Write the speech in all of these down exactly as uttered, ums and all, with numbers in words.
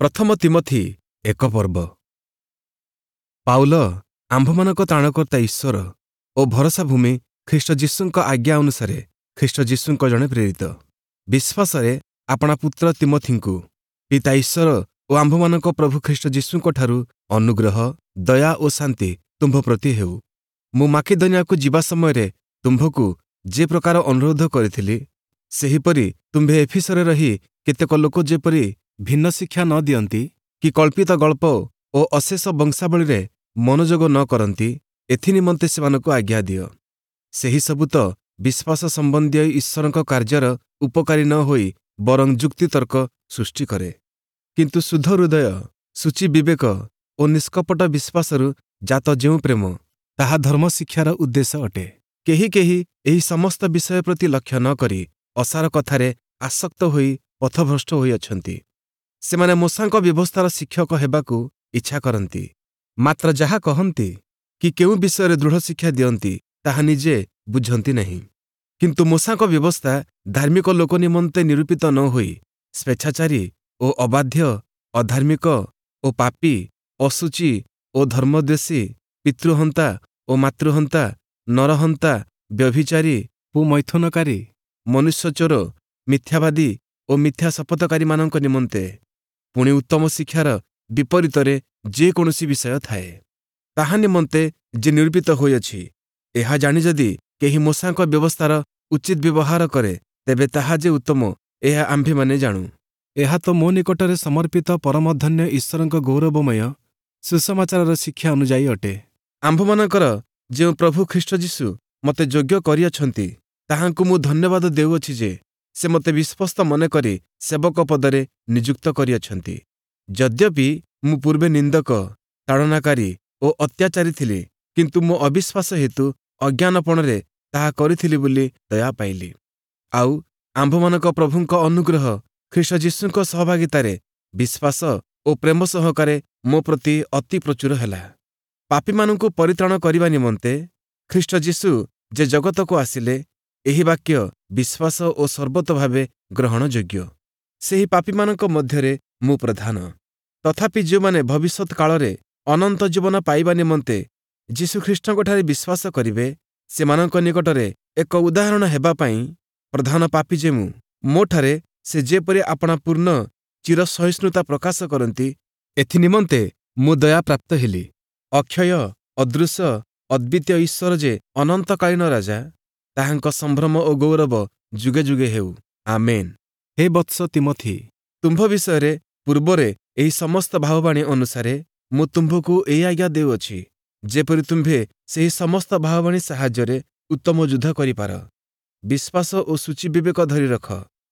ପ୍ରଥମ ତୀମଥି ଏକ ପର୍ବ। ପାଉଲ ଆମ୍ଭମାନଙ୍କ ତ୍ରାଣକର୍ତ୍ତା ଈଶ୍ୱର ଓ ଭରସା ଭୂମି ଖ୍ରୀଷ୍ଟ ଯୀଶୁଙ୍କ ଆଜ୍ଞା ଅନୁସାରେ ଖ୍ରୀଷ୍ଟ ଯୀଶୁଙ୍କ ଜଣେ ପ୍ରେରିତ, ବିଶ୍ୱାସରେ ଆପଣା ପୁତ୍ର ତୀମଥିଙ୍କୁ ପିତା ଈଶ୍ୱର ଓ ଆମ୍ଭମାନଙ୍କ ପ୍ରଭୁ ଖ୍ରୀଷ୍ଟ ଯୀଶୁଙ୍କଠାରୁ ଅନୁଗ୍ରହ, ଦୟା ଓ ଶାନ୍ତି ତୁମ୍ଭ ପ୍ରତି ହେଉ। ମୁଁ ମାକିଦନିଆକୁ ଯିବା ସମୟରେ ତୁମ୍ଭକୁ ଯେ ପ୍ରକାର ଅନୁରୋଧ କରିଥିଲି, ସେହିପରି ତୁମ୍ଭେ ଏଫିସରେ ରହି କେତେକ ଲୋକ ଯେପରି ଭିନ୍ନ ଶିକ୍ଷା ନ ଦିଅନ୍ତି କି କଳ୍ପିତ ଗଳ୍ପ ଓ ଅଶେଷ ବଂଶାବଳୀରେ ମନୋଯୋଗ ନ କରନ୍ତି, ଏଥିନିମନ୍ତେ ସେମାନଙ୍କୁ ଆଜ୍ଞା ଦିଅ। ସେହିସବୁ ତ ବିଶ୍ୱାସ ସମ୍ବନ୍ଧୀୟ ଈଶ୍ୱରଙ୍କ କାର୍ଯ୍ୟର ଉପକାରୀ ନ ହୋଇ ବରଂ ଯୁକ୍ତିତର୍କ ସୃଷ୍ଟି କରେ। କିନ୍ତୁ ଶୁଦ୍ଧ ହୃଦୟ, ଶୁଚି ବିବେକ ଓ ନିଷ୍କପଟ ବିଶ୍ୱାସରୁ ଜାତ ଯେଉଁ ପ୍ରେମ, ତାହା ଧର୍ମଶିକ୍ଷାର ଉଦ୍ଦେଶ୍ୟ ଅଟେ। କେହି କେହି ଏହି ସମସ୍ତ ବିଷୟ ପ୍ରତି ଲକ୍ଷ୍ୟ ନ କରି ଅସାର କଥାରେ ଆସକ୍ତ ହୋଇ ପଥଭ୍ରଷ୍ଟ ହୋଇଅଛନ୍ତି। ସେମାନେ ମୋଶାଙ୍କ ବ୍ୟବସ୍ଥାର ଶିକ୍ଷକ ହେବାକୁ ଇଚ୍ଛା କରନ୍ତି, ମାତ୍ର ଯାହା କହନ୍ତି କି କେଉଁ ବିଷୟରେ ଦୃଢ଼ ଶିକ୍ଷା ଦିଅନ୍ତି, ତାହା ନିଜେ ବୁଝନ୍ତି ନାହିଁ। କିନ୍ତୁ ମୋଶାଙ୍କ ବ୍ୟବସ୍ଥା ଧାର୍ମିକ ଲୋକ ନିମନ୍ତେ ନିରୂପିତ ନ ହୋଇ ସ୍ୱେଚ୍ଛାଚାରୀ ଓ ଅବାଧ୍ୟ, ଅଧାର୍ମିକ ଓ ପାପୀ, ଅଶୁଚି ଓ ଧର୍ମଦ୍ୱେଷୀ, ପିତୃହନ୍ତା ଓ ମାତୃହନ୍ତା, ନରହନ୍ତା, ବ୍ୟଭିଚାରୀ, ପୁମୈଥୁନକାରୀ, ମନୁଷ୍ୟଚୋର, ମିଥ୍ୟାବାଦୀ ଓ ମିଥ୍ୟା ଶପଥକାରୀମାନଙ୍କ ନିମନ୍ତେ। ପୁଣି ଉତ୍ତମ ଶିକ୍ଷାର ବିପରୀତରେ ଯେକୌଣସି ବିଷୟ ଥାଏ, ତାହା ନିମନ୍ତେ ଯେ ନିରୂପିତ ହୋଇଅଛି, ଏହା ଜାଣି ଯଦି କେହି ମୋଶାଙ୍କ ବ୍ୟବସ୍ଥାର ଉଚିତ ବ୍ୟବହାର କରେ, ତେବେ ତାହା ଯେ ଉତ୍ତମ, ଏହା ଆମ୍ଭେମାନେ ଜାଣୁ। ଏହା ତ ମୋ ନିକଟରେ ସମର୍ପିତ ପରମଧନ୍ୟ ଈଶ୍ୱରଙ୍କ ଗୌରବମୟ ସୁସମାଚାରର ଶିକ୍ଷା ଅନୁଯାୟୀ ଅଟେ। ଆମ୍ଭମାନଙ୍କର ଯେଉଁ ପ୍ରଭୁ ଖ୍ରୀଷ୍ଟ ଯୀଶୁ ମୋତେ ଯୋଗ୍ୟ କରିଅଛନ୍ତି, ତାହାଙ୍କୁ ମୁଁ ଧନ୍ୟବାଦ ଦେଉଅଛି ଯେ ସେ ମୋତେ ବିଶ୍ୱସ୍ତ ମନେକରି ସେବକ ପଦରେ ନିଯୁକ୍ତ କରିଅଛନ୍ତି। ଯଦ୍ୟପି ମୁଁ ପୂର୍ବେ ନିନ୍ଦକ, ତାଡ଼ନାକାରୀ ଓ ଅତ୍ୟାଚାରୀ ଥିଲି, କିନ୍ତୁ ମୋ ଅବିଶ୍ୱାସ ହେତୁ ଅଜ୍ଞାନପଣରେ ତାହା କରିଥିଲି ବୋଲି ଦୟା ପାଇଲି। ଆଉ ଆମ୍ଭମାନଙ୍କ ପ୍ରଭୁଙ୍କ ଅନୁଗ୍ରହ ଖ୍ରୀଷ୍ଟ ଯୀଶୁଙ୍କ ସହଭାଗିତାରେ ବିଶ୍ୱାସ ଓ ପ୍ରେମ ସହକାରେ ମୋ ପ୍ରତି ଅତି ପ୍ରଚୁର ହେଲା। ପାପୀମାନଙ୍କୁ ପରିତ୍ରାଣ କରିବା ନିମନ୍ତେ ଖ୍ରୀଷ୍ଟ ଯୀଶୁ ଯେ ଜଗତକୁ ଆସିଲେ, ଏହି ବାକ୍ୟ ବିଶ୍ୱାସ ଓ ସର୍ବତୋଭାବେ ଗ୍ରହଣଯୋଗ୍ୟ। ସେହି ପାପୀମାନଙ୍କ ମଧ୍ୟରେ ମୁଁ ପ୍ରଧାନ। ତଥାପି ଯେଉଁମାନେ ଭବିଷ୍ୟତ କାଳରେ ଅନନ୍ତ ଜୀବନ ପାଇବା ନିମନ୍ତେ ଯୀଶୁଖ୍ରୀଷ୍ଟଙ୍କଠାରେ ବିଶ୍ୱାସ କରିବେ, ସେମାନଙ୍କ ନିକଟରେ ଏକ ଉଦାହରଣ ହେବା ପାଇଁ ପ୍ରଧାନ ପାପୀ ଯେ ମୁଁ, ମୋଠାରେ ସେ ଯେପରି ଆପଣା ପୂର୍ଣ୍ଣ ଚିରସହିଷ୍ଣୁତା ପ୍ରକାଶ କରନ୍ତି, ଏଥିନିମନ୍ତେ ମୁଁ ଦୟାପ୍ରାପ୍ତ ହେଲି। ଅକ୍ଷୟ, ଅଦୃଶ୍ୟ, ଅଦ୍ୱିତୀୟ ଈଶ୍ୱର ଯେ ଅନନ୍ତକାଳୀନ ରାଜା, ତାହାଙ୍କ ସମ୍ଭ୍ରମ ଓ ଗୌରବ ଯୁଗେ ଯୁଗେ ହେଉ। ଆମେନ୍। ହେ ବତ୍ସ ତୀମଥି, ତୁମ୍ଭ ବିଷୟରେ ପୂର୍ବରେ ଏହି ସମସ୍ତ ଭାବବାଣୀ ଅନୁସାରେ ମୁଁ ତୁମ୍ଭକୁ ଏହି ଆଜ୍ଞା ଦେଉଅଛି, ଯେପରି ତୁମ୍ଭେ ସେହି ସମସ୍ତ ଭାବବାଣୀ ସାହାଯ୍ୟରେ ଉତ୍ତମ ଯୁଦ୍ଧ କରିପାର। ବିଶ୍ୱାସ ଓ ଶୁଚି ବିବେକ ଧରି ରଖ।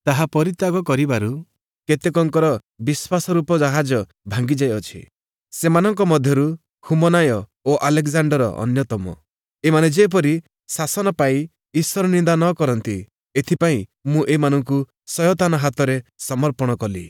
ତାହା ପରିତ୍ୟାଗ କରିବାରୁ କେତେକଙ୍କର ବିଶ୍ୱାସରୂପ ଜାହାଜ ଭାଙ୍ଗିଯାଇଅଛି। ସେମାନଙ୍କ ମଧ୍ୟରୁ ହୁମନାୟ ଓ ଆଲେକ୍ଜାଣ୍ଡର ଅନ୍ୟତମ। ଏମାନେ ଯେପରି ଶାସନ ପାଇ ଈଶ୍ୱର ନିନ୍ଦା ନ କରନ୍ତି, ଏଥିପାଇଁ ମୁଁ ଏମାନଙ୍କୁ ଶୟତାନ ହାତରେ ସମର୍ପଣ କଲି।